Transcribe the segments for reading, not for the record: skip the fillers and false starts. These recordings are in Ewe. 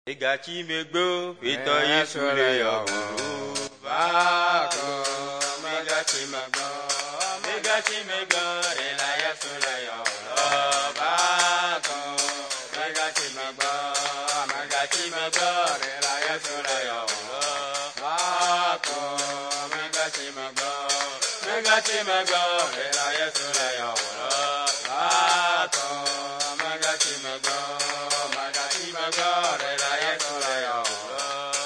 Megatsi megbe o, Ƒetɔ Yesu le yɔwòm. Va ko, megatsi megbe o, megatsi megbe o, ɖela Yesu le yɔwòm. Va ko, megatsi megbe o, megatsi megbe o, ɖela Yesu le yɔwòm. Va ko, megatsi megbe o, megatsi megbe o, ɖela Yesu le yɔwòm. Va ko, megatsi megbe o, megatsi megbe o, ɖela Yesu le yɔwòm.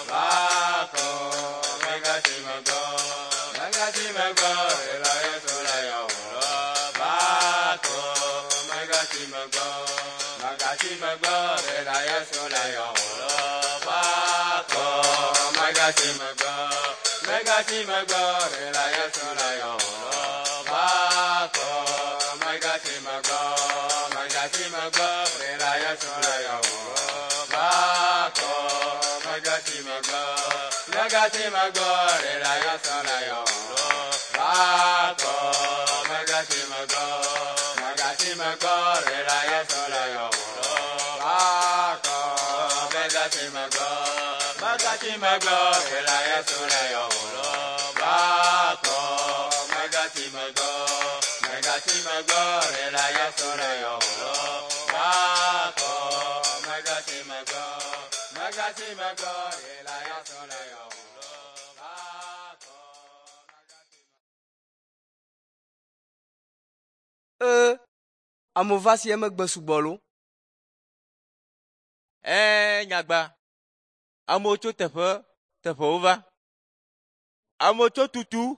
Va ko, megatsi megbe o, megatsi megbe o, ɖela Yesu le yɔwòm. Va ko, megatsi megbe o, megatsi megbe o, ɖela Yesu le yɔwòm. Va ko, megatsi megbe o, megatsi megbe o, ɖela Yesu le yɔwòm. Va ko, megatsi megbe o, megatsi megbe o, ɖela Yesu le yɔwòm. Va ko, megatsi megbe o, megatsi megbe o, ɖela Yesu le yɔwòm. Va ko, megatsi megbe o, megatsi megbe o, ɖela Yesu le yɔwòm. Va ko, megatsi megbe o, megatsi megbe o, ɖela Yesu le yɔwòm. Va ko, megatsi megbe o, megatsi megbe o, ɖela Yesu le yɔwòm. Va ko, megatsi megbe o, megatsi megbe o, ɖela Yesu le yɔwòm. Va ko, megatsi Ee, amewo va si emegbe sugbɔ lo. Ɛɛ nyagba, amewo tso teƒe teƒewo va. Amewo tso Tutu,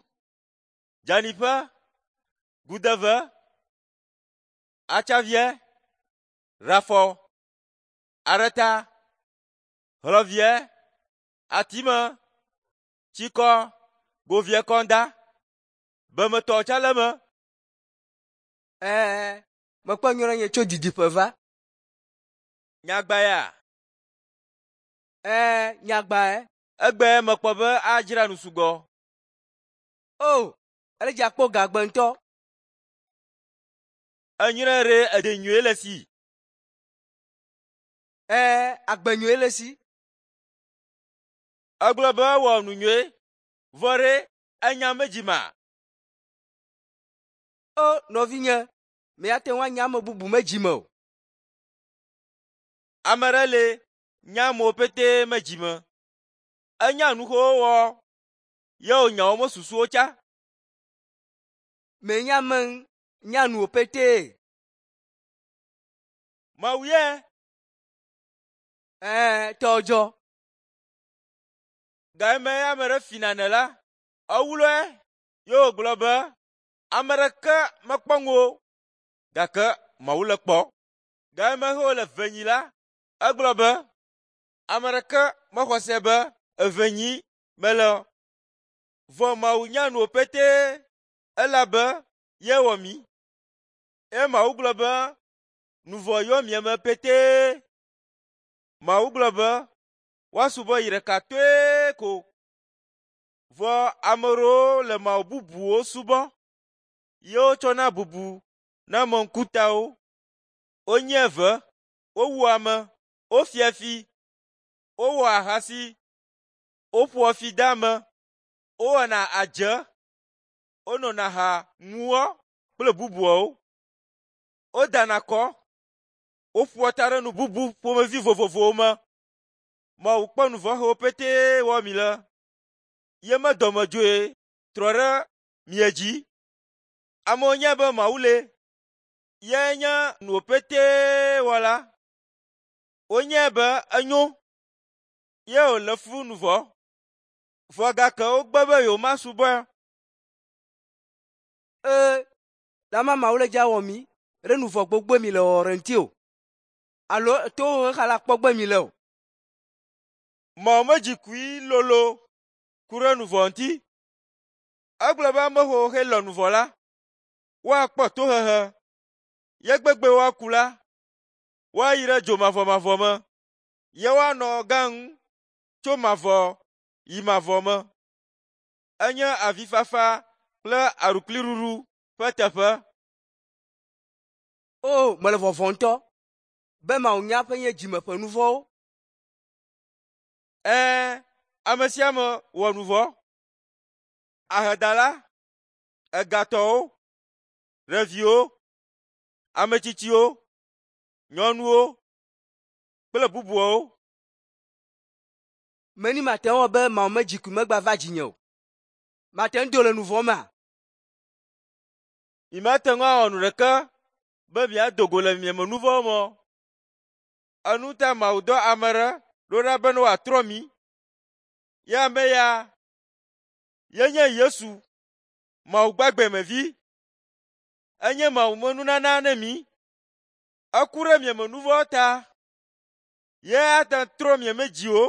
Dzaniƒe, Gudeve, Atsavie, Rafɔ, Areta, Hlɔvie, Atime, Tsikɔ, Govie Kɔnda, Bemetɔwo tsã le eme. Ɛɛ, mekpɔ nyɔ ɖe nye tso didiƒe va. Nyagba ya, Ɛɛ, nyagbae. egbe mekpɔ be adzra nu sugbɔ. O, ele dze akpɔ gagbe ŋutɔ. Enyre ɖe eɖe nyuie le si. Ɛɛ, agbe nyuie le si. Egblɔ be wɔ nu nyuie, vɔ ɖe enya medzima. O, nɔvinye, miate ŋu anya ame bubu me dzime o. Ame ɖe le nya amewo pete me dzime. Enya nu xewo wɔ ye wònya wo me susuwo tsã. Menya ame nya nuwo petee. Mawu ye Ɛɛ, tɔwò dzɔ. gayime ame ɖe fi nane la, ewlɔe ye wògblɔ be ame ɖeke mekpɔ ŋu o gake Mawu le kpɔ. Gayime he wòle ve nyi la, egblɔ be ame ɖeke mexɔ se be eve nyi mele o. Vɔ Mawu nya nuwo petee elabe ye wɔ mí. Eye Mawu gblɔ be nu vɔ̃ yɔ mia me petee. Mawu gblɔ be woasubɔ yi ɖeka toe ko. Vɔ ame ɖewo le mawu bubuwo subɔ ye wotsɔna bubu na ame ŋkutawo. Wonyi eve, wowu ame, wofia fi, wowɔ ahasi, woƒoa fi de ame, wowɔna adze, wonɔna ha ŋuwɔ kple bubuawo. Wodana kɔ, woƒoa ta ɖe nu bubu ƒomevi vovovowo me. Mawu kpɔ nu vɔ̃ xewo petee wɔ mi le. Ye me dɔmedzoe trɔ ɖe mia dzi. Amewo nya be Mawu le. Ye nye nuwo petee wɔla. Wonyae be enyo ye wòle fu nu vɔ̃. Vɔ gake wogbe be yewomasubɔe. Ee, dama Mawu le dze awɔ mí ɖe nu vɔ̃ gbogbo mi le wɔwɔ ɖe ŋuti o. Alo tohehe xa la kpɔ gbe mi le o. Mawu medzi kui lolo ku ɖe nu vɔ̃ ŋuti. Egblɔ be ame xewo xe lɔ̃ nu vɔ̃ la, woakpɔ tohehe. Ye gbegbe woaku la, woayi ɖe dzo mavɔmavɔ me. Ye woanɔ gã ŋu tso mavɔ yi mavɔ me. Enye avifafa kple aɖukliɖuɖu ƒe teƒe. O, mele vɔvɔ̃ ŋutɔ be Mawu nya ƒe nye dzime ƒe nu vɔ̃wo. Ɛ̃, ame sia ame wɔ nu vɔ̃. Ahedala, egatɔwo, ɖeviwo, ame tsitsiwo, nyɔnuwo kple bubuawo. Meni mate ŋu awɔ be Mawu me dziku megba va dzinye o. Mate ŋu do le nu vɔ̃ mea? Mi mate ŋu awɔ nu ɖeke be miado go le miame nu vɔ̃wo me o. Enu ta Mawu dɔ ame ɖe ɖo ɖa be ne wòatrɔ mi. Ye ame ya yenye Yesu, Mawu gbagbemevi. Enye Mawu me nunana ne mi. Eku ɖe miame nu vɔ̃wo ta. Ye ate ŋu trɔ miame dziwo.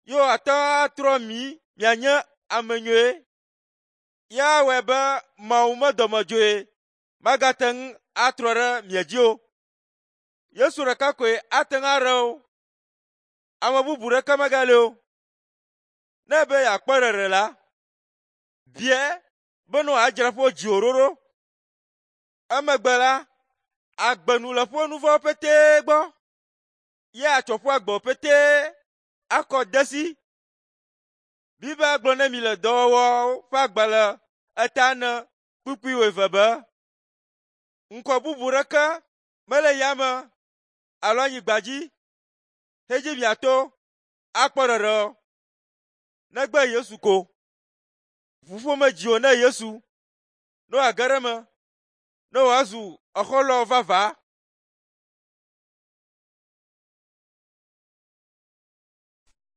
Ye wòate ŋu atrɔ mi mianye ame nyuie. Ya awɔe be Mawu me dɔmedzoe magate ŋu atrɔ ɖe mia dzi o. Yesu ɖeka koe ate ŋu aɖe wo. Ame bubu ɖeke megali o. Ne ebe yeakpɔ ɖeɖe la, biae be ne wòadzra ƒe dziwò ɖo ɖo. Emegbe la, agbe nu le ƒe nu vɔ̃wo petee gbɔ. Ye atsɔ ƒe agbewo petee akɔ de esi. Biblia gblɔ ne mi le dɔwɔwɔwo ƒe agbalẽ eta ene kpukpui wuieve be, ŋkɔ bubu ɖeke mele yame alo anyigba dzi hedzi miato akpɔ ɖeɖe o, negbe Yesu ko. Ʋuƒome dziwò ne Yesu, ne wòage ɖe eme, ne wòazu exɔlɔ̃ vavã.